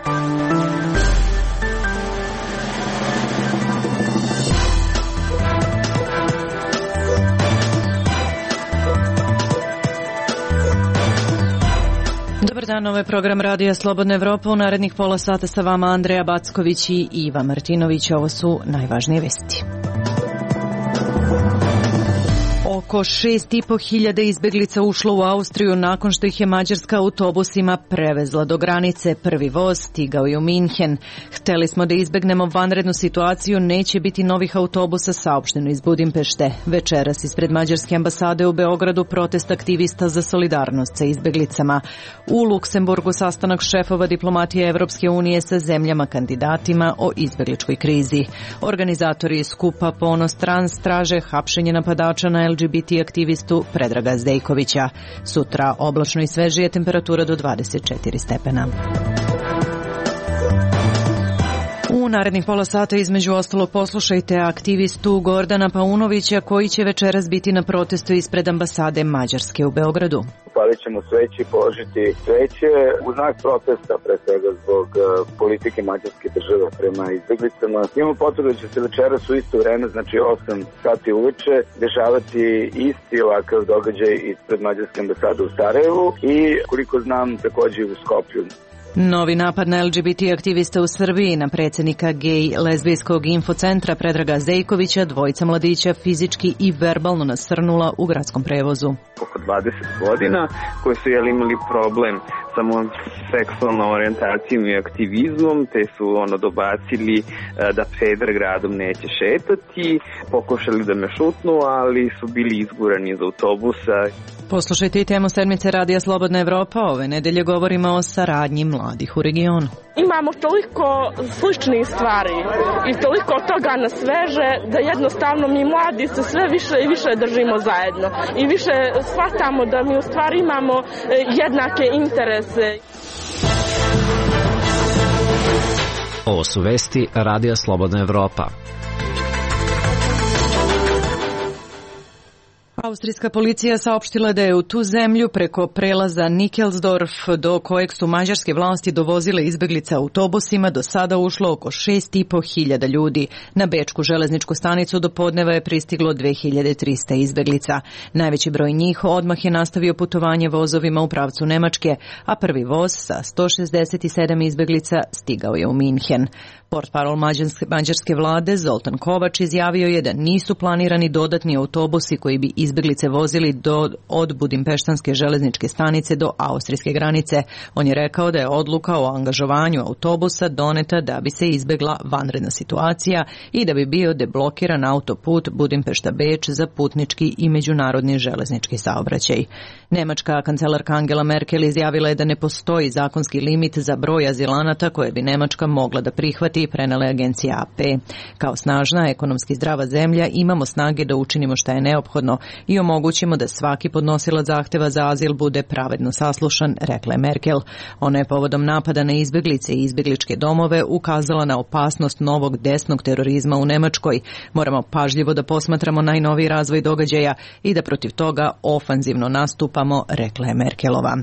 Dobar dan, ovo je program Radija Slobodna Evropa. U narednih pola sata sa vama Andreja Backović i Iva Martinović. Ovo su najvažnije vesti. Oko 6.500 izbeglica ušlo u Austriju nakon što ih je Mađarska autobusima prevezla do granice. Prvi voz stigao je u Minhen. Hteli smo da izbegnemo vanrednu situaciju, neće biti novih autobusa, saopšteno iz Budimpešte. Večeras ispred Mađarske ambasade u Beogradu protest aktivista za solidarnost sa izbeglicama. U Luksemburgu sastanak šefova diplomatije Evropske unije sa zemljama kandidatima o izbegličkoj krizi. Organizatori skupa Ponos Trans traže hapšenje napadača na LGBT aktivistu Predraga Zdejkovića. Sutra oblačno i svežije, temperatura do 24 stepena. U narednih pola sata između ostalog poslušajte aktivistu Gordana Paunovića koji će večeras biti na protestu ispred ambasade Mađarske u Beogradu. Palit ćemo sveće i položiti sveće u znak protesta, pre svega zbog politike mađarske države prema izbeglicama. Imamo potvrdu da će se večeras u isto vreme, znači 8 sati uveče, dešavati isti ovakav događaj ispred Mađarske ambasade u Sarajevu i, koliko znam, takođe u Skoplju. Novi napad na LGBT aktivista u Srbiji, na predsjednika gej-lezbijskog infocentra Predraga Zdejkovića, dvojica mladića fizički i verbalno nasrnula u gradskom prevozu. Oko 20 godina koji su imali problem samo seksualnom orijentacijom i aktivizmom, te su dobacili da peder gradom neće šetati, pokušali da me šutnu, ali su bili izgurani iz autobusa. Poslušajte i temu sedmice Radija Slobodna Evropa. Ove nedelje govorimo o saradnji mladih u regionu. Imamo toliko sličnih stvari i toliko toga nas veže da jednostavno mi mladi se sve više i više držimo zajedno i više shvatamo da mi u stvari imamo jednake interese. Ovo su vesti Radija Slobodna Evropa. Austrijska policija saopštila da je u tu zemlju preko prelaza Nickelsdorf, do kojeg su mađarske vlasti dovozile izbeglice autobusima, do sada ušlo oko 6.500 ljudi. Na bečku železničku stanicu do podneva je pristiglo 2300 izbeglica. Najveći broj njih odmah je nastavio putovanje vozovima u pravcu Nemačke, a prvi voz sa 167 izbeglica stigao je u Minhen. Portparol mađarske vlade Zoltan Kovač izjavio je da nisu planirani dodatni autobusi koji bi izbeglice vozili od Budimpeštanske železničke stanice do austrijske granice. On je rekao da je odluka o angažovanju autobusa doneta da bi se izbegla vanredna situacija i da bi bio deblokiran autoput Budimpešta-Beč za putnički i međunarodni železnički saobraćaj. Nemačka kancelarka Angela Merkel izjavila je da ne postoji zakonski limit za broj azilanata koje bi Nemačka mogla da prihvati i prenele agencija AP. Kao snažna, ekonomski zdrava zemlja imamo snage da učinimo šta je neophodno i omogućimo da svaki podnosilac zahteva za azil bude pravedno saslušan, rekla je Merkel. Ona je povodom napada na izbeglice i izbegličke domove ukazala na opasnost novog desnog terorizma u Nemačkoj. Moramo pažljivo da posmatramo najnoviji razvoj događaja i da protiv toga ofanzivno nastupamo, rekla je Merkelova.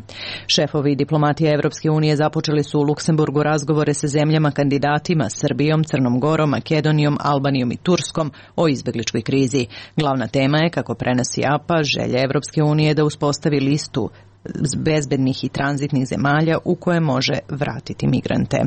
Šefovi diplomatije Evropske unije započeli su u Luksemburgu razgovore sa zemljama kandidatima Srbijom, Crnom Gorom, Makedonijom, Albanijom i Turskom o izbegličkoj krizi. Glavna tema je, kako prenosi APA, želja Evropske unije da uspostavi listu bezbednih i tranzitnih zemalja u koje može vratiti migrante.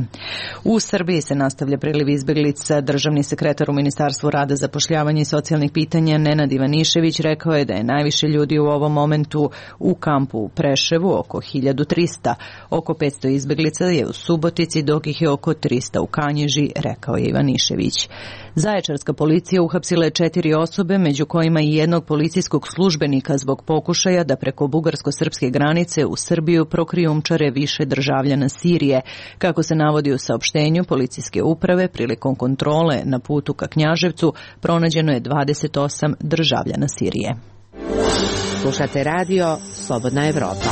U Srbiji se nastavlja priliv izbeglica. Državni sekretar u Ministarstvu rada, zapošljavanja i socijalnih pitanja Nenad Ivanišević rekao je da je najviše ljudi u ovom momentu u kampu u Preševu, oko 1300. Oko 500 izbeglica je u Subotici, dok ih je oko 300 u Kanjiži, rekao je Ivanišević. Zaječarska policija uhapsila je 4 osobe, među kojima i jednog policijskog službenika zbog pokušaja da preko bugarsko-srpske granice u Srbiju prokrijumčare više državljana Sirije. Kako se navodi u saopštenju policijske uprave, prilikom kontrole na putu ka Knjaževcu pronađeno je 28 državljana Sirije. Slušate radio Slobodna Evropa.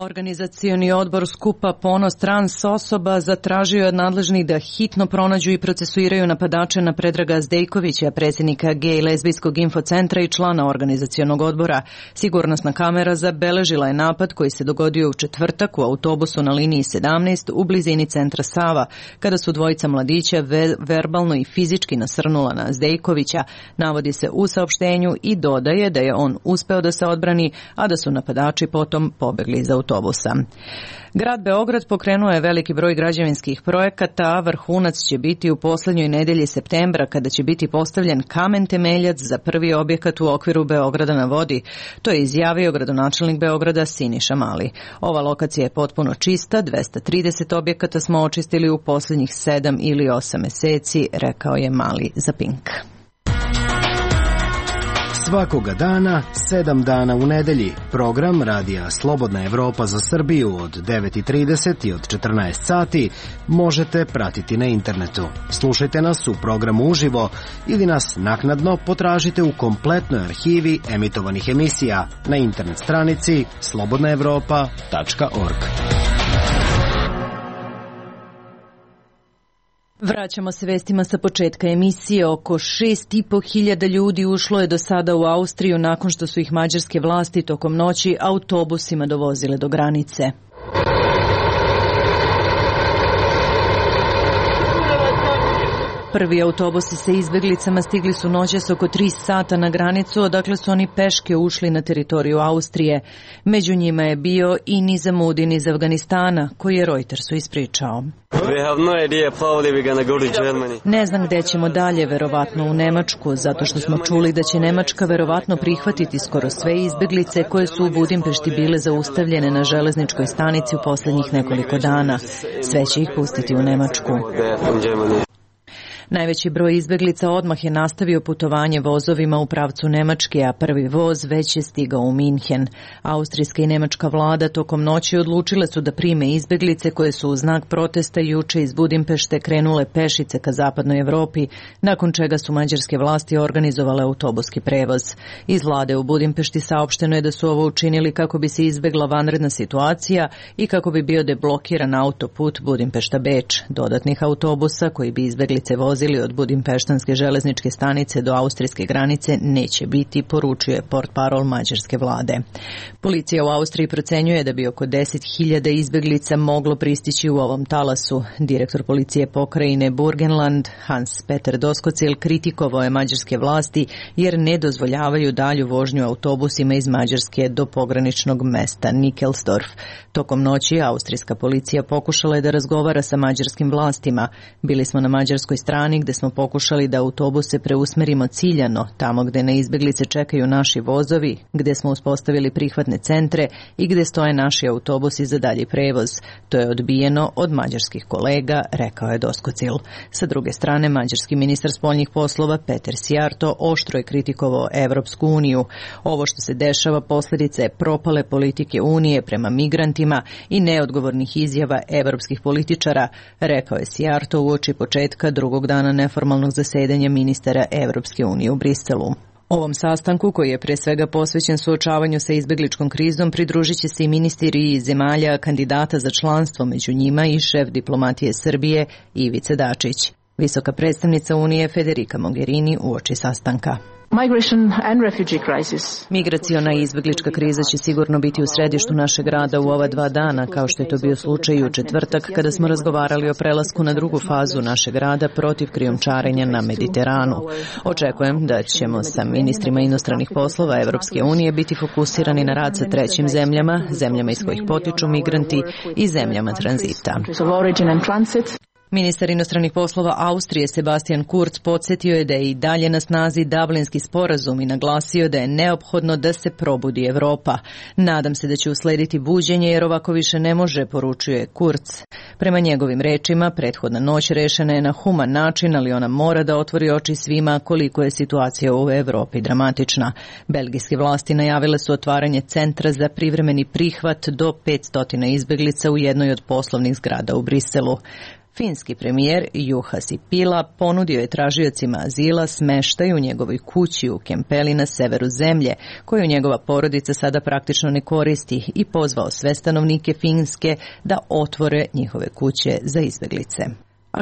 Organizacioni odbor skupa Ponos trans osoba zatražio je od nadležnih da hitno pronađu i procesuiraju napadače na Predraga Zdejkovića, predsjednika gej lezbijskog infocentra i člana organizacionog odbora. Sigurnosna kamera zabeležila je napad koji se dogodio u četvrtak u autobusu na liniji 17 u blizini centra Sava, kada su dvojica mladića verbalno i fizički nasrnula na Zdejkovića, navodi se u saopštenju i dodaje da je on uspeo da se odbrani, a da su napadači potom pobegli iz autobusa. Grad Beograd pokrenuo je veliki broj građevinskih projekata, a vrhunac će biti u poslednjoj nedelji septembra, kada će biti postavljen kamen temeljac za prvi objekat u okviru Beograda na vodi. To je izjavio gradonačelnik Beograda Siniša Mali. Ova lokacija je potpuno čista, 230 objekata smo očistili u poslednjih 7 ili 8 meseci, rekao je Mali za Pink. Svakoga dana, 7 dana u nedelji, program Radija Slobodna Evropa za Srbiju od 9:30 i od 14 sati možete pratiti na internetu. Slušajte nas u programu uživo ili nas naknadno potražite u kompletnoj arhivi emitovanih emisija na internet stranici slobodnaevropa.org. Vraćamo se vestima sa početka emisije. Oko 6.500 ljudi ušlo je do sada u Austriju nakon što su ih mađarske vlasti tokom noći autobusima dovozile do granice. Prvi autobusi sa izbeglicama stigli su noćas oko 3 sata na granicu, odakle su oni peške ušli na teritoriju Austrije. Među njima je bio i Nizamudin iz Afganistana, koji je Reutersu ispričao. Ne znam gde ćemo dalje, verovatno u Nemačku, zato što smo čuli da će Nemačka verovatno prihvatiti skoro sve izbeglice koje su u Budimpešti bile zaustavljene na železničkoj stanici u poslednjih nekoliko dana. Sve će ih pustiti u Nemačku. Najveći broj izbeglica odmah je nastavio putovanje vozovima u pravcu Nemačke, a prvi voz već je stigao u Minhen. Austrijska i nemačka vlada tokom noći odlučile su da prime izbeglice koje su u znak protesta juče iz Budimpešte krenule pešice ka zapadnoj Evropi, nakon čega su mađarske vlasti organizovale autobuski prevoz. Iz vlade u Budimpešti saopšteno je da su ovo učinili kako bi se izbegla vanredna situacija i kako bi bio deblokiran autoput Budimpešta-Beč. Dodatnih autobusa koji bi izbeglice vozili od Budimpeštanske železničke stanice do austrijske granice neće biti, poručuje portparol mađarske vlade. Policija u Austriji procenjuje da bi oko 10.000 izbeglica moglo pristići u ovom talasu. Direktor policije pokrajine Burgenland, Hans-Peter Doskocil, kritikovao je mađarske vlasti jer ne dozvoljavaju dalju vožnju autobusima iz Mađarske do pograničnog mesta Nickelsdorf. Tokom noći austrijska policija pokušala je da razgovara sa mađarskim vlastima. Bili smo na mađarskoj strani gde smo pokušali da autobuse preusmerimo ciljano, tamo gde na izbeglice čekaju naši vozovi, gde smo uspostavili prihvatne centre i gde stoje naši autobusi za dalji prevoz. To je odbijeno od mađarskih kolega, rekao je Doskocil. Sa druge strane, mađarski ministar spoljnih poslova Peter Sijarto oštro je kritikovao Evropsku uniju. Ovo što se dešava posljedica je propale politike Unije prema migrantima i neodgovornih izjava evropskih političara, rekao je Sijarto uoči početka drugog dana neformalnog zasedanja ministara Evropske unije u Briselu. Ovom sastanku, koji je pre svega posvećen suočavanju sa izbegličkom krizom, pridružit će se i ministri iz zemalja kandidata za članstvo, među njima i šef diplomatije Srbije Ivica Dačić. Visoka predstavnica Unije Federica Mogherini uoči sastanka. Migraciona i izbeglička kriza će sigurno biti u središtu našeg rada u ova 2 dana, kao što je to bio slučaj u četvrtak kada smo razgovarali o prelasku na drugu fazu našeg rada protiv krijumčarenja na Mediteranu. Očekujem da ćemo sa ministrima inostranih poslova Evropske unije biti fokusirani na rad sa trećim zemljama, zemljama iz kojih potiču migranti i zemljama tranzita. Ministar inostranih poslova Austrije Sebastian Kurz podsjetio je da je i dalje na snazi Dublinski sporazum i naglasio da je neophodno da se probudi Evropa. Nadam se da će uslediti buđenje jer ovako više ne može, poručuje Kurz. Prema njegovim rečima, prethodna noć rešena je na human način, ali ona mora da otvori oči svima koliko je situacija u Evropi dramatična. Belgijske vlasti najavile su otvaranje centra za privremeni prihvat do 500 izbeglica u jednoj od poslovnih zgrada u Briselu. Finski premijer Juha Sipila ponudio je tražiocima azila smeštaj u njegovoj kući u Kempeli na severu zemlje, koju njegova porodica sada praktično ne koristi, i pozvao sve stanovnike Finske da otvore njihove kuće za izbeglice.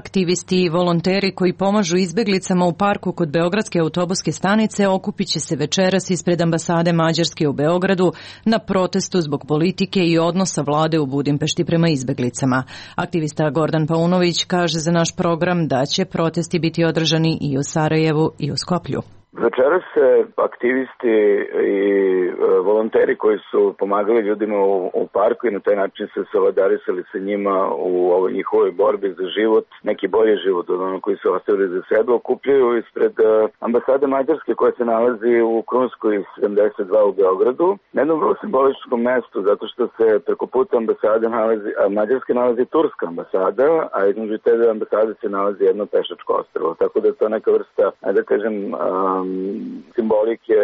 Aktivisti i volonteri koji pomažu izbeglicama u parku kod Beogradske autobuske stanice okupit će se večeras ispred ambasade Mađarske u Beogradu na protestu zbog politike i odnosa vlade u Budimpešti prema izbeglicama. Aktivista Gordan Paunović kaže za naš program da će protesti biti održani i u Sarajevu i u Skoplju. Večeras se aktivisti i volonteri koji su pomagali ljudima u parku i na taj način se solidarisali sa njima u ovoj njihovoj borbi za život, neki bolji život od onog koji su ostavili za sebe, okupljaju ispred ambasade Mađarske koja se nalazi u Krunskoj 72 u Beogradu, na jednom vrlo simboličkom mestu, zato što se preko puta ambasade Mađarske nalazi turska ambasada, a između te ambasade se nalazi jedno pešačko ostrvo, tako da je to neka vrsta, da kažem, simbolike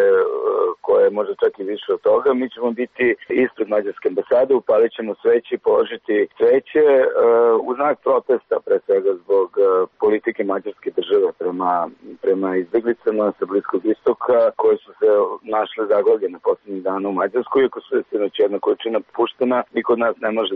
koja je možda čak i više od toga. Mi ćemo biti ispred Mađarske ambasade, upalit ćemo sveće i položiti sveće u znak protesta, pre svega zbog politike mađarske države prema izbeglicama sa Bliskog istoka koje su se našle zaglavljene poslednjih dana u Mađarskoj. Iako su sinoć jedna količina puštena, niko od nas ne može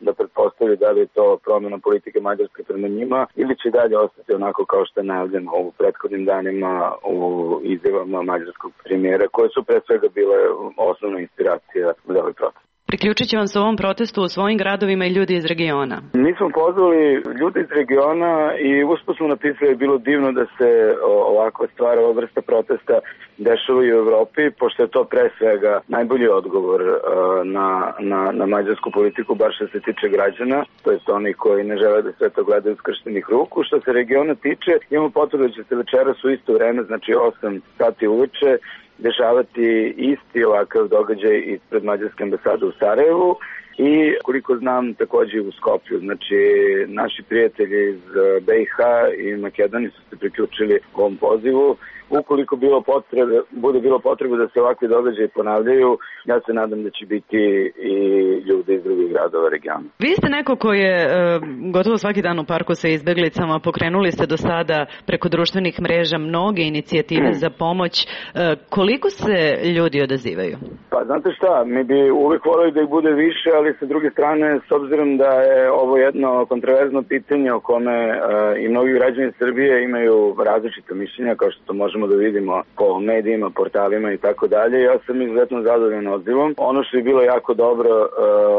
da pretpostavi da li je to promjena politike Mađarske prema njima ili će dalje ostati onako kao što je najavljeno u prethodnim danima u izjavama mađarskog premijera, koje su pre svega bile osnovna inspiracija za ovaj protest. Priključit će vam se ovom protestu u svojim gradovima i ljudi iz regiona. Mi smo pozvali ljude iz regiona i usput smo napisali da je bilo divno da se ovakva stvar, ova vrsta protesta dešava i u Evropi, pošto je to pre svega najbolji odgovor na mađarsku politiku, bar što se tiče građana, to jest oni koji ne žele da sve to gledaju skrštenih ruku. Što se regiona tiče, imamo potvrdu da će se večeras u isto vreme, znači 8 sati uveče, dešavati isti ovakav događaj ispred Mađarske ambasade u Sarajevu i, koliko znam, takođe u Skoplju. Znači, naši prijatelji iz BiH i Makedonije su se priključili ovom pozivu. Ukoliko bude bilo potrebe da se ovakvi događaji ponavljaju, ja se nadam da će biti i ljudi iz drugih gradova regiona. Vi ste neko ko je gotovo svaki dan u parku sa izbeglicama, pokrenuli ste do sada preko društvenih mreža mnoge inicijative za pomoć. Koliko se ljudi odazivaju? Pa znate šta, mi bi uvek voleli da ih bude više, ali sa druge strane, s obzirom da je ovo jedno kontroverzno pitanje o kome i mnogi građani Srbije imaju različite mišljenja, kao što to možemo da vidimo po medijima, portalima i tako dalje. Ja sam izuzetno zadovoljan odzivom. Ono što je bilo jako dobro,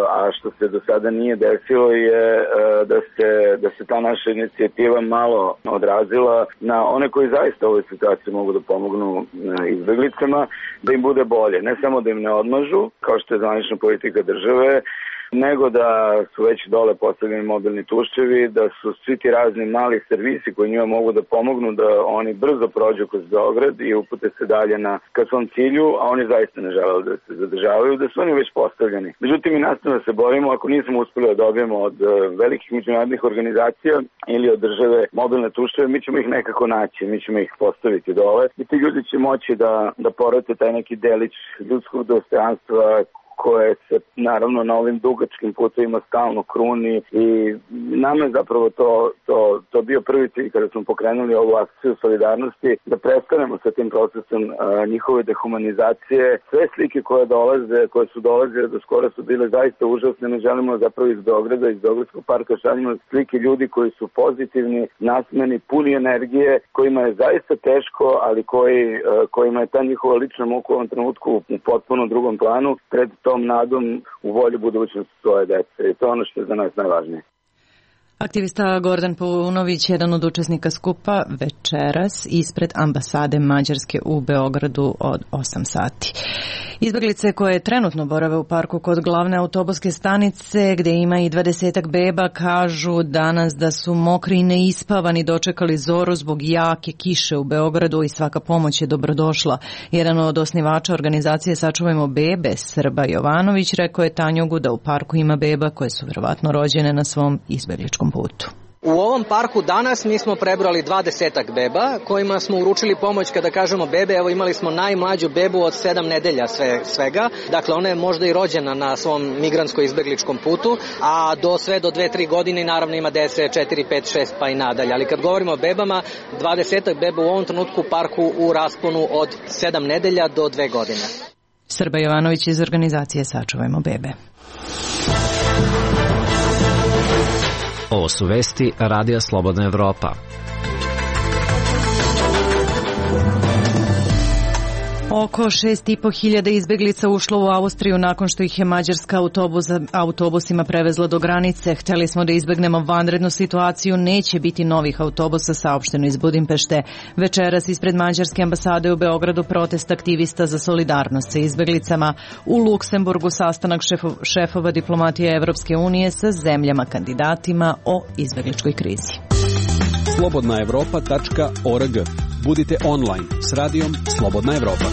a što se do sada nije desilo, je da se ta naša inicijativa malo odrazila na one koji zaista u ovoj situaciji mogu da pomognu izbeglicama, da im bude bolje. Ne samo da im ne odmažu, kao što je zvanična politika države, nego da su već dole postavljeni mobilni tuševi, da su svi ti razni mali servisi koji njima mogu da pomognu da oni brzo prođu kroz Beograd i upute se dalje ka svom cilju, a oni zaista ne žele da se zadržavaju, da su oni već postavljeni. Međutim, mi nastavno se borimo, ako nismo uspeli da dobijemo od velikih međunarodnih organizacija ili od države mobilne tuševe, mi ćemo ih nekako naći, mi ćemo ih postaviti dole i ti ljudi će moći da porate taj neki delić ljudskog dostojanstva koje se naravno na ovim dugačkim putovima stalno kruni i nama je zapravo to bio prvi cilj kada smo pokrenuli ovu akciju solidarnosti, da prestanemo sa tim procesom njihove dehumanizacije. Sve slike koje su dolazile do skora su bile zaista užasne. Mi želimo zapravo iz Beograda, iz Beogradskog parka šaljimo slike ljudi koji su pozitivni, nasmeni, puni energije, kojima je zaista teško, ali kojima je ta njihova lična muka u ovom trenutku u potpuno drugom planu, pred tom nadom u volju budućnosti svoje dece. I to je ono što je za nas najvažnije. Aktivista Gordan Paunović, jedan od učesnika skupa, večeras ispred ambasade Mađarske u Beogradu od 8 sati. Izbeglice koje trenutno borave u parku kod glavne autobuske stanice, gde ima i 20 beba, kažu danas da su mokri i neispavani, dočekali zoru zbog jake kiše u Beogradu i svaka pomoć je dobrodošla. Jedan od osnivača organizacije Sačuvajmo bebe, Srba Jovanović, rekao je Tanjugu da u parku ima beba koje su verovatno rođene na svom izbegličkom putu. U ovom parku danas mi smo prebrali 20 beba kojima smo uručili pomoć. Kada kažemo bebe, evo imali smo najmlađu bebu od 7 nedelja svega. Dakle, ona je možda i rođena na svom migrantsko-izbegličkom putu, a sve do 2-3 godine naravno ima dece 4, 5, 6 pa i nadalje. Ali kad govorimo o bebama, 20 beba u ovom trenutku u parku u rasponu od 7 nedelja do 2 godine. Srba Jovanović iz organizacije Sačuvajmo bebe. Ovo su vesti Radija Slobodna Evropa. Oko 6.500 izbeglica ušlo u Austriju nakon što ih je mađarska autobusima prevezla do granice. Hteli smo da izbegnemo vanrednu situaciju, neće biti novih autobusa, saopšteno iz Budimpešte. Večeras ispred mađarske ambasade u Beogradu protest aktivista za solidarnost sa izbeglicama. U Luksemburgu sastanak šefova diplomatije Evropske unije sa zemljama kandidatima o izbegličkoj krizi. slobodnaevropa.org. Budite online s radijom Slobodna Evropa.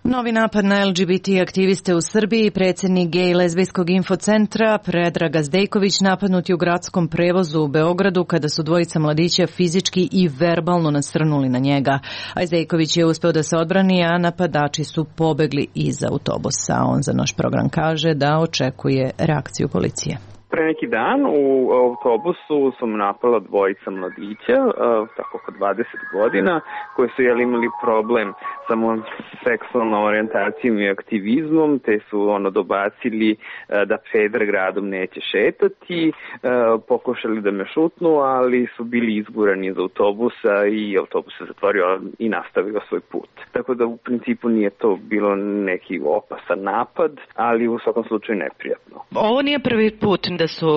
Novi napad na LGBT aktiviste u Srbiji. Predsjednik gej lezbijskog infocentra Predrag Zdejković napadnut je u gradskom prevozu u Beogradu kada su dvojica mladića fizički i verbalno nasrnuli na njega. A Zdejković je uspeo da se odbrani, a napadači su pobegli iz autobusa. On za naš program kaže da očekuje reakciju policije. Pre neki dan u autobusu su napala dvojica mladića, tako oko 20 godina, koji su imali problem sa mojom seksualnom orijentacijom i aktivizmom, te su dobacili da peder gradom neće šetati, pokušali da me šutnu, ali su bili izgurani iz autobusa i autobus se zatvorio i nastavio svoj put. Tako da u principu nije to bilo neki opasan napad, ali u svakom slučaju neprijatno. Ovo nije prvi put da su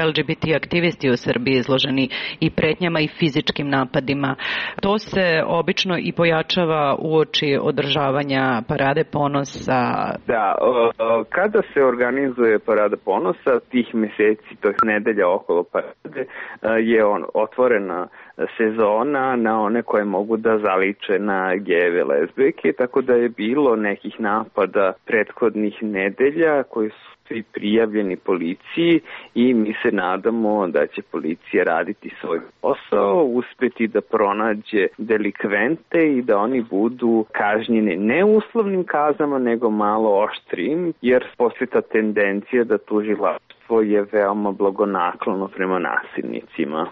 LGBT aktivisti u Srbiji izloženi i pretnjama i fizičkim napadima. To se obično i pojačava uoči održavanja Parade ponosa. Da, kada se organizuje Parada ponosa, tih meseci, to je nedelja okolo Parade, je otvorena sezona na one koje mogu da zaliče na gejeve, lezbijke, tako da je bilo nekih napada prethodnih nedelja koji su svi prijavljeni policiji i mi se nadamo da će policija raditi svoj posao, uspeti da pronađe delikvente i da oni budu kažnjeni ne uslovnim kaznama nego malo oštrijim, jer postoji ta tendencija da tužilaštvo je veoma blagonaklono prema nasilnicima.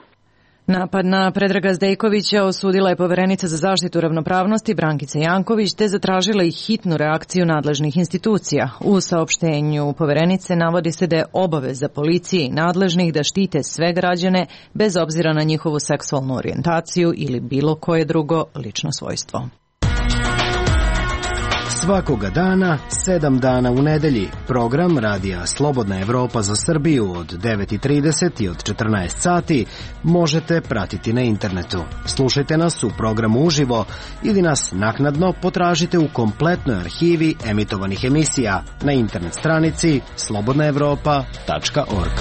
Napad na Predraga Zdejkovića osudila je poverenica za zaštitu ravnopravnosti Brankica Janković te zatražila i hitnu reakciju nadležnih institucija. U saopštenju poverenice navodi se da je obaveza policije i nadležnih da štite sve građane bez obzira na njihovu seksualnu orijentaciju ili bilo koje drugo lično svojstvo. Svakoga dana, 7 dana u nedelji, program Radija Slobodna Evropa za Srbiju od 9.30 i od 14 sati možete pratiti na internetu. Slušajte nas u programu uživo ili nas naknadno potražite u kompletnoj arhivi emitovanih emisija na internet stranici slobodnaevropa.org.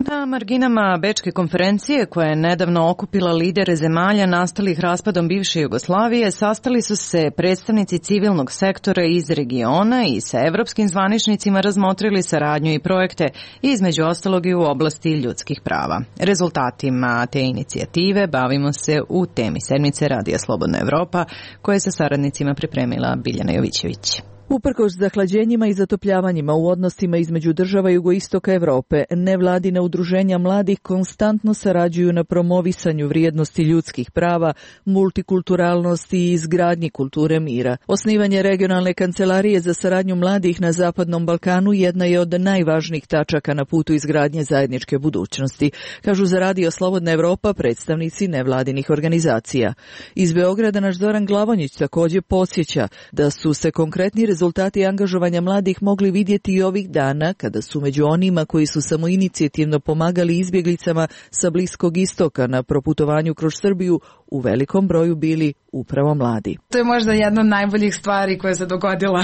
Na marginama Bečke konferencije, koja je nedavno okupila lidere zemalja nastalih raspadom bivše Jugoslavije, sastali su se predstavnici civilnog sektora iz regiona i sa evropskim zvaničnicima razmotrili saradnju i projekte, između ostalog i u oblasti ljudskih prava. Rezultatima te inicijative bavimo se u temi sedmice Radija Slobodna Evropa, koje je sa saradnicima pripremila Biljana Jovićević. Uprkos zahlađenjima i zatopljavanjima u odnosima između država jugoistoka Evrope, nevladina udruženja mladih konstantno sarađuju na promovisanju vrijednosti ljudskih prava, multikulturalnosti i izgradnji kulture mira. Osnivanje regionalne kancelarije za saradnju mladih na Zapadnom Balkanu jedna je od najvažnijih tačaka na putu izgradnje zajedničke budućnosti, kažu za Radio Slobodna Evropa predstavnici nevladinih organizacija. Iz Beograda naš Zoran Glavonjić također podsjeća da su se konkretni rezultati angažovanja mladih mogli vidjeti i ovih dana kada su među onima koji su samoinicijativno pomagali izbjeglicama sa Bliskog istoka na proputovanju kroz Srbiju u velikom broju bili upravo mladi. To je možda jedna od najboljih stvari koja se dogodila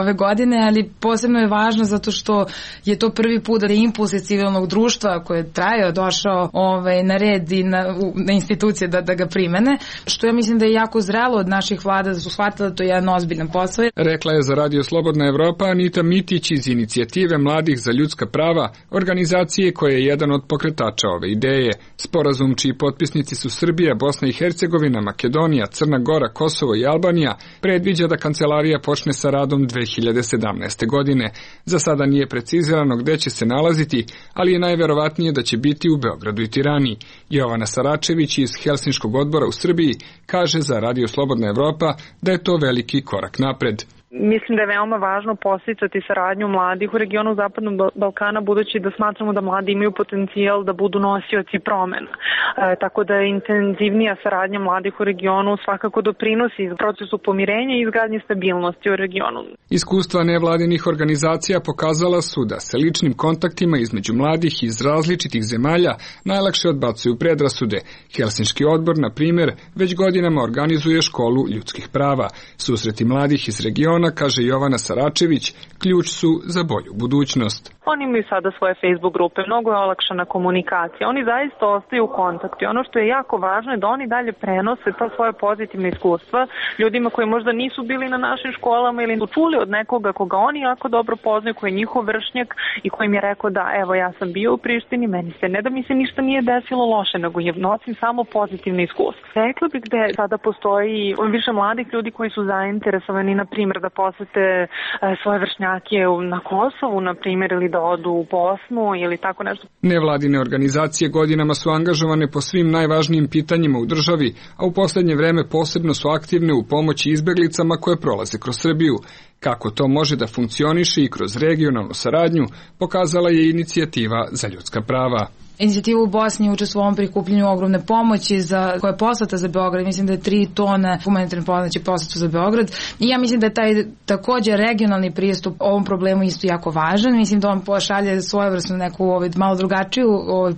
ove godine, ali posebno je važno zato što je to prvi put da je impuls iz civilnog društva koji je trajao, došao na red i na institucije da ga primene, što ja mislim da je jako zrelo od naših vlada da su shvatili da to je jedan ozbiljan posao. Rekla je za Radio Slobodna Evropa Anita Mitić iz inicijative Mladih za ljudska prava, organizacije koja je jedan od pokretača ove ideje. Sporazum čiji potpisnici su Srbija, Bosna i Hercegovina, Makedonija, Crna Gora, Kosovo i Albanija predviđa da kancelarija počne sa radom 2017. godine. Za sada nije precizirano gde će se nalaziti, ali je najverovatnije da će biti u Beogradu i Tirani. Jovana Saračević iz Helsinškog odbora u Srbiji kaže za Radio Slobodna Evropa da je to veliki korak napred. Mislim da je veoma važno podsticati saradnju mladih u regionu Zapadnog Balkana, budući da smatramo da mladi imaju potencijal da budu nosioci promena. Tako da je intenzivnija saradnja mladih u regionu svakako doprinosi procesu pomirenja i izgradnje stabilnosti u regionu. Iskustva nevladinih organizacija pokazala su da se ličnim kontaktima između mladih iz različitih zemalja najlakše odbacuju predrasude. Helsinški odbor, na primjer, već godinama organizuje školu ljudskih prava. Susreti mladih iz regiona, kaže Jovana Saračević, ključ su za bolju budućnost. Oni imaju sada svoje Facebook grupe, mnogo je olakšana komunikacija, oni zaista ostaju u kontaktu. Ono što je jako važno je da oni dalje prenose ta svoje pozitivne iskustva ljudima koji možda nisu bili na našim školama ili su čuli od nekoga koga oni jako dobro poznaju, koji je njihov vršnjak i koji im je rekao da evo ja sam bio u Prištini, ne da mi se ništa nije desilo loše, nego je nosim samo pozitivne iskustva. Rekla bih da sada postoji više mladih ljudi koji su zainteresovani, na primjer, da posete svoje vršnjake na Kosovu, na primjer, ili da odu u Bosnu ili tako nešto. Nevladine organizacije godinama su angažovane po svim najvažnijim pitanjima u državi, a u poslednje vreme posebno su aktivne u pomoći izbeglicama koje prolaze kroz Srbiju. Kako to može da funkcioniše i kroz regionalnu saradnju, pokazala je inicijativa za ljudska prava. Inicijativa u Bosni učestvuje u ovom prikupljenju ogromne pomoći koja je poslata za Beograd. Mislim da je 3 tone humanitarne pomoći poslata za Beograd. I ja mislim da je taj također regionalni pristup ovom problemu isto jako važan. Mislim da on pošalje svojevrsnu neku malo drugačiju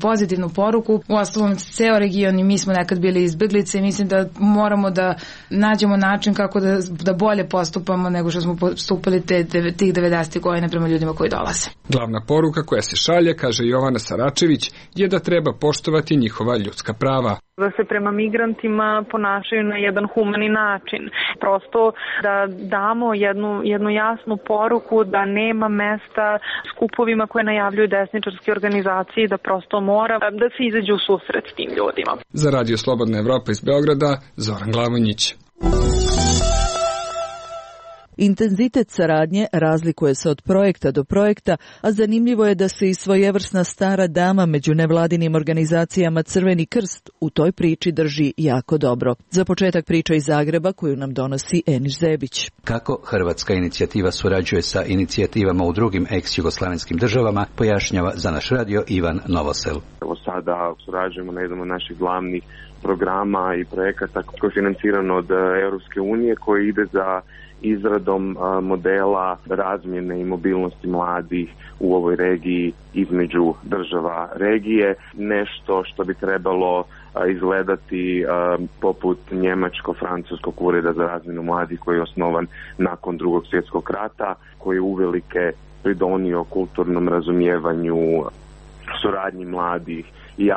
pozitivnu poruku. Uostalom, ceo region i mi smo nekad bili izbeglice i mislim da moramo da nađemo način kako da bolje postupamo nego što smo postupali tih 90. godina prema ljudima koji dolaze. Glavna poruka koja se šalje, kaže Jovana Saračević, je da treba poštovati njihova ljudska prava. Da se prema migrantima ponašaju na jedan humani način. Prosto da damo jednu jasnu poruku da nema mesta skupovima koje najavljuju desničarske organizacije, da prosto mora da se izađe u susret s tim ljudima. Za Radio Slobodna Evropa iz Beograda, Zoran Glavonjić. Intenzitet saradnje razlikuje se od projekta do projekta, a zanimljivo je da se i svojevrsna stara dama među nevladinim organizacijama Crveni krst u toj priči drži jako dobro. Za početak priča iz Zagreba koju nam donosi Eniš Zebić. Kako hrvatska inicijativa surađuje sa inicijativama u drugim ex-jugoslavenskim državama, pojašnjava za naš radio Ivan Novosel. Evo sada surađujemo na jednom od naših glavnih programa i projekata koji je financiran od Europske unije, koji ide za izradom modela razmjene i mobilnosti mladih u ovoj regiji između država regije. Nešto što bi trebalo izgledati poput njemačko-francuskog ureda za razmjenu mladih koji je osnovan nakon Drugog svjetskog rata, koji je uvelike pridonio kulturnom razumijevanju, suradnji mladih i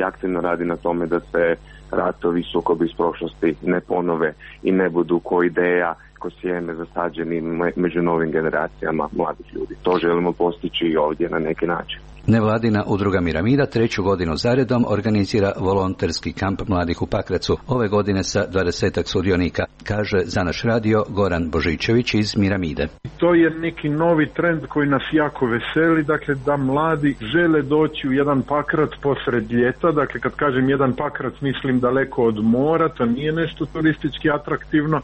aktivno radi na tome da se ratovi, sukobi iz prošlosti ne ponove i ne budu ko ideja, ko sjeme zasađeni među novim generacijama mladih ljudi. To želimo postići i ovdje na neki način. Nevladina udruga Miramida 3. godinu zaredom organizira volonterski kamp mladih u Pakracu. Ove godine sa 20 sudionika, kaže za naš radio Goran Božičević iz Miramide. To je neki novi trend koji nas jako veseli, dakle da mladi žele doći u jedan Pakrac posred ljeta. Dakle, kad kažem jedan Pakrac mislim daleko od mora, to nije nešto turistički atraktivno,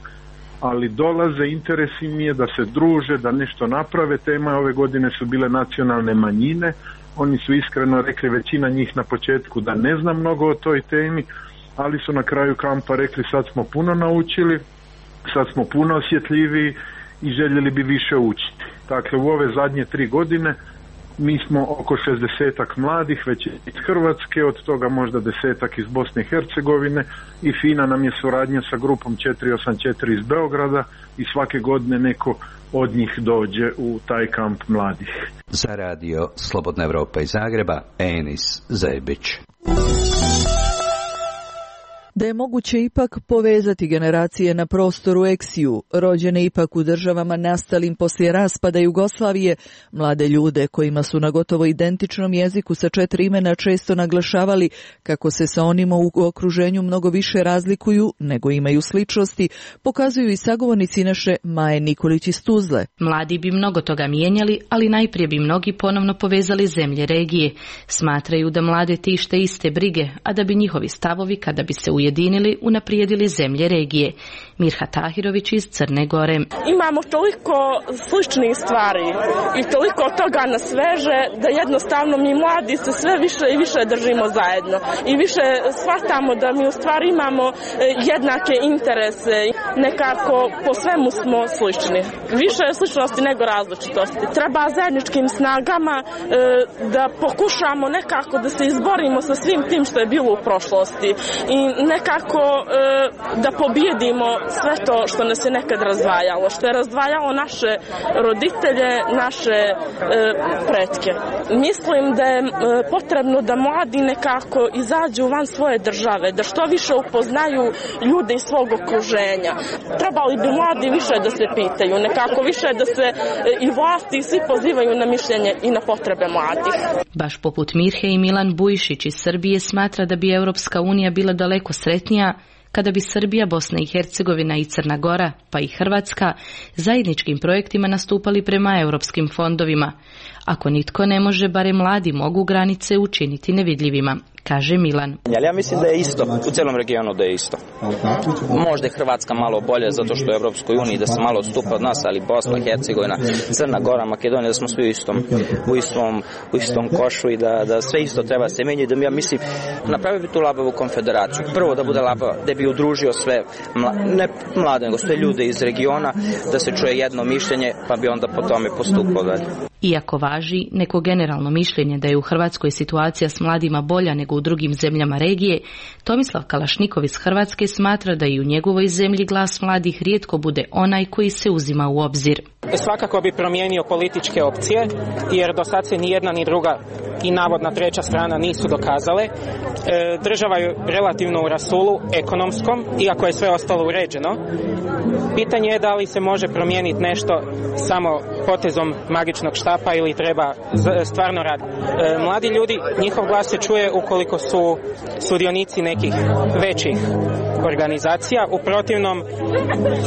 ali dolaze, interes im je da se druže, da nešto naprave. Tema ove godine su bile nacionalne manjine. Oni su iskreno rekli, većina njih na početku, da ne zna mnogo o toj temi, ali su na kraju kampa rekli sad smo puno naučili, sad smo puno osjetljiviji i željeli bi više učiti. Dakle, u ove zadnje 3 godine Mi smo oko 60-ak mladih, već iz Hrvatske, od toga možda 10-ak iz Bosne i Hercegovine i fina nam je suradnja sa grupom 484 iz Beograda i svake godine neko od njih dođe u taj kamp mladih. Za radio Slobodna Evropa iz Zagreba, Enis Zebić. Da je moguće ipak povezati generacije na prostoru Eksiju, rođene ipak u državama nastalim poslije raspada Jugoslavije, mlade ljude kojima su na gotovo identičnom jeziku sa 4 imena često naglašavali kako se sa onima u okruženju mnogo više razlikuju nego imaju sličnosti, pokazuju i sagovornici naše Maje Nikolić iz Tuzle. Mladi bi mnogo toga mijenjali, ali najprije bi mnogi ponovno povezali zemlje regije. Smatraju da mlade tište iste brige, a da bi njihovi stavovi, kada bi se ujedinili, unaprijedili zemlje regije. Mirha Tahirović iz Crne Gore. Imamo toliko sličnih stvari i toliko toga nas veže da jednostavno mi mladi se sve više i više držimo zajedno i više shvatamo da mi u stvari imamo jednake interese. Nekako po svemu smo slični. Više je sličnosti nego različitosti. Treba zajedničkim snagama da pokušamo nekako da se izborimo sa svim tim što je bilo u prošlosti i nekako da pobjedimo sve to što nas je nekad razdvajalo, što je razdvajalo naše roditelje, naše pretke. Mislim da je potrebno da mladi nekako izađu van svoje države, da što više upoznaju ljude iz svog okruženja. Trebali bi mladi više da se pitaju, nekako više da se i vlasti i svi pozivaju na mišljenje i na potrebe mladih. Baš poput Mirhe i Milan Bujšić iz Srbije smatra da bi Europska unija bila daleko sretnija kada bi Srbija, Bosna i Hercegovina i Crna Gora, pa i Hrvatska, zajedničkim projektima nastupali prema europskim fondovima. Ako nitko ne može, barem mladi mogu granice učiniti nevidljivima, kaže Milan. Ja mislim da je isto, u celom regionu da je isto. Možda je Hrvatska malo bolje zato što je u Europskoj uniji, da se malo odstupa od nas, ali Bosna, Hercegovina, Crna Gora, Makedonija, da smo svi u istom košu i da sve isto treba se menjati, da mi, ja mislim, napravio bi tu labavu konfederaciju. Prvo da bude labava, da bi udružio sve, ne mlade, nego sve ljude iz regiona, da se čuje jedno mišljenje, pa bi onda po tome postupao dalje. Iako važi neko generalno mišljenje da je u Hrvatskoj situacija s mladima bolja nego u drugim zemljama regije, Tomislav Kalašnikov iz Hrvatske smatra da i u njegovoj zemlji glas mladih rijetko bude onaj koji se uzima u obzir. Svakako bi promijenio političke opcije, jer do sad se ni jedna ni druga i navodna treća strana nisu dokazale. Država je relativno u rasulu ekonomskom, iako je sve ostalo uređeno. Pitanje je da li se može promijeniti nešto samo potezom magičnog štapa ili treba stvarno raditi. Mladi ljudi, njihov glas se čuje ukoliko su sudionici nekih većih organizacija. U protivnom,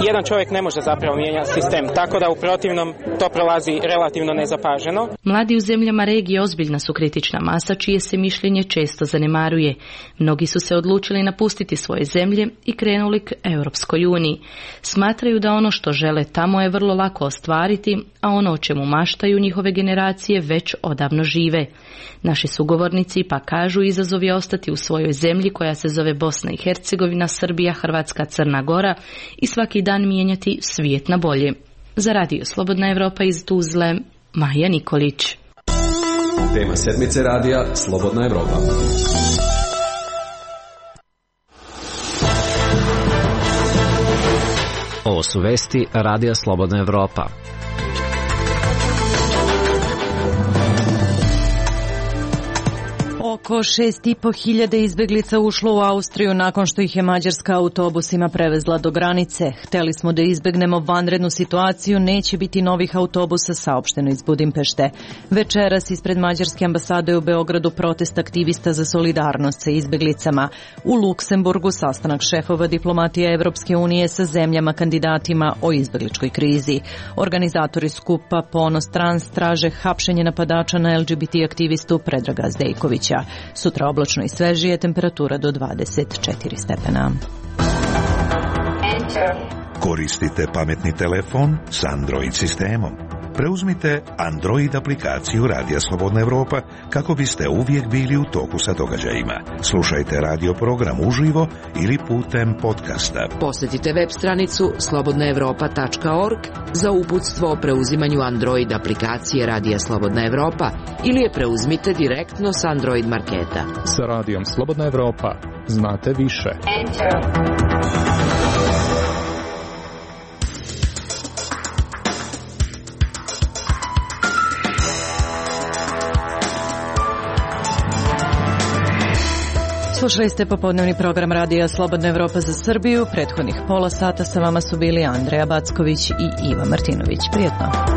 jedan čovjek ne može zapravo mijenjati sistem, tako da u protivnom to prolazi relativno nezapaženo. Mladi u zemljama regije ozbiljna su kritična masa čije se mišljenje često zanemaruje. Mnogi su se odlučili napustiti svoje zemlje i krenuli k Europskoj uniji. Smatraju da ono što žele tamo je vrlo lako ostvariti, a ono o čemu maštaju njihove generacije već odavno žive. Naši sugovornici pa kažu izazov je ostati u svojoj zemlji koja se zove Bosna i Hercegovina, Srbija, Hrvatska, Crna Gora i svaki dan mijenjati svijet na bolje. Za radio Slobodna Evropa iz Tuzle, Maja Nikolić. Tema sedmice radija Slobodna Evropa. Ovo su vesti radija Slobodna Evropa. Oko 6.500 izbeglica ušlo u Austriju nakon što ih je Mađarska autobusima prevezla do granice. Hteli smo da izbegnemo vanrednu situaciju, neće biti novih autobusa, saopšteno iz Budimpešte. Večeras ispred Mađarske ambasade u Beogradu protest aktivista za solidarnost sa izbeglicama. U Luksemburgu sastanak šefova diplomatije Evropske unije sa zemljama kandidatima o izbegličkoj krizi. Organizatori skupa Ponos Trans traže hapšenje napadača na LGBT aktivistu Predraga Zdejkovića. Sutra oblačno i svežije, temperatura do 24 stepena. Koristite pametni telefon s Android sistemom. Preuzmite Android aplikaciju Radija Slobodna Evropa kako biste uvijek bili u toku sa događajima. Slušajte radio program uživo ili putem podcasta. Posjetite web stranicu slobodnaevropa.org za uputstvo o preuzimanju Android aplikacije Radija Slobodna Evropa ili je preuzmite direktno s Android marketa. Sa Radijom Slobodna Evropa znate više. Slušali ste popodnevni program Radija Slobodna Evropa za Srbiju. Prethodnih pola sata sa vama su bili Andreja Backović i Iva Martinović. Prijetno.